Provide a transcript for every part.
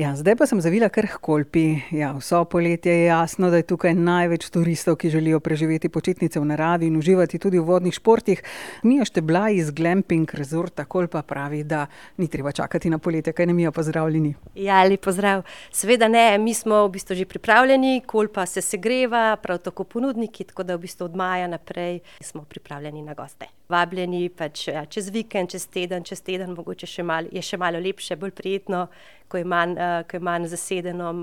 Ja, zdaj pa sem zavila kar h Kolpi. Ja, vso poletje je jasno, da je tukaj največ turistov, ki želijo preživeti počitnice v naravi in uživati tudi v vodnih športih. Mija Šteblaj iz Glamping Resorta Kolpa pravi, da ni treba čakati na poletje. Kaj ne, Mija, pozdravljeni. Ja, lep pozdrav. Seveda ne, mi smo v bistvu že pripravljeni, Kolpa se segreva, prav tako ponudniki, tako da v bistvu od maja naprej smo pripravljeni na goste. Vabljeni pač čez vikend, čez teden, mogoče je še malo lepše, bolj prijetno, ko je manj zasedeno,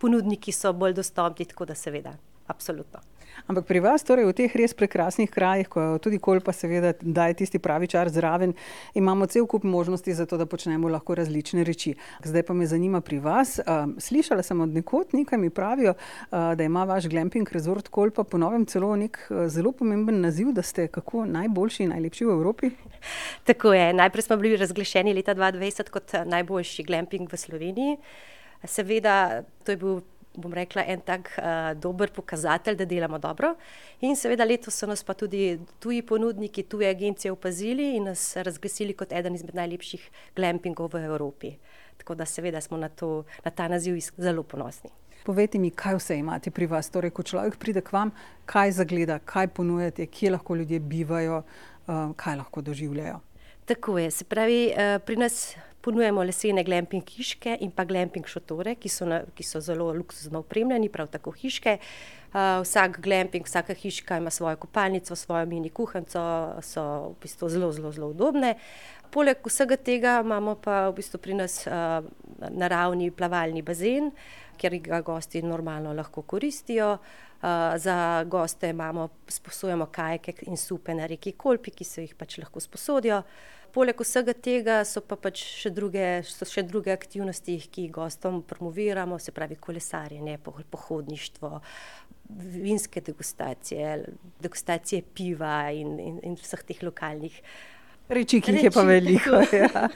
ponudniki so bolj dostopni, tako da seveda, absolutno. Ampak pri vas, torej v teh res prekrasnih krajih, ko tudi Kolpa seveda daje tisti pravi čar zraven, imamo cel kup možnosti za to, da počnemo lahko različne reči. Zdaj pa me zanima pri vas. Slišala sem od nekod, nekaj mi pravijo, da ima vaš Glamping Resort Kolpa po novem celo nek zelo pomemben naziv, da ste kako najboljši in najlepši v Evropi? Tako je. Najprej smo bili razglašeni leta 2020 kot najboljši glamping v Sloveniji. Seveda, to je bil, bom rekla, en tak dober pokazatelj, da delamo dobro. In seveda letos so nas pa tudi tuji ponudniki, tuje agencije opazili in nas razglasili kot eden izmed najlepših glampingov v Evropi. Tako da seveda smo na ta naziv zelo ponosni. Povejte mi, kaj vse imate pri vas? Torej, ko človek pride k vam, kaj zagleda, kaj ponujate, kje lahko ljudje bivajo, kaj lahko doživljajo? Tako je. Se pravi, pri nas ponujemo lesene glamping hiške in pa glamping šotore, ki so zelo luksuzno opremljeni, prav tako hiške. Vsak glamping, vsaka hiška ima svojo kopalnico, svojo mini kuhinjico, so v bistvu zelo udobne. Poleg vsega tega imamo pa v bistvu pri nas naravni plavalni bazen, kjer ga gosti normalno lahko koristijo. Za goste sposojamo kajake in supe na reki Kolpi, ki se jih pač lahko sposodijo. Poleg vsega tega so pa pač še druge aktivnosti, ki jih gostom promoviramo, se pravi kolesarjenje, pohodništvo, vinske degustacije piva in vseh teh lokalnih reči, ki jih je pa veliko. Ja.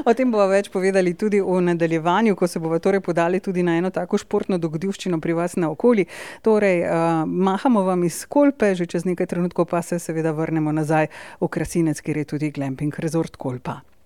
O tem bova več povedali tudi v nadaljevanju, ko se bova torej podali tudi na eno tako športno dogodivščino pri vas naokoli. Torej, mahamo vam iz Kolpe, že čez nekaj trenutkov pa se seveda vrnemo nazaj v Krasinec, kjer je tudi Glamping Resort Kolpa.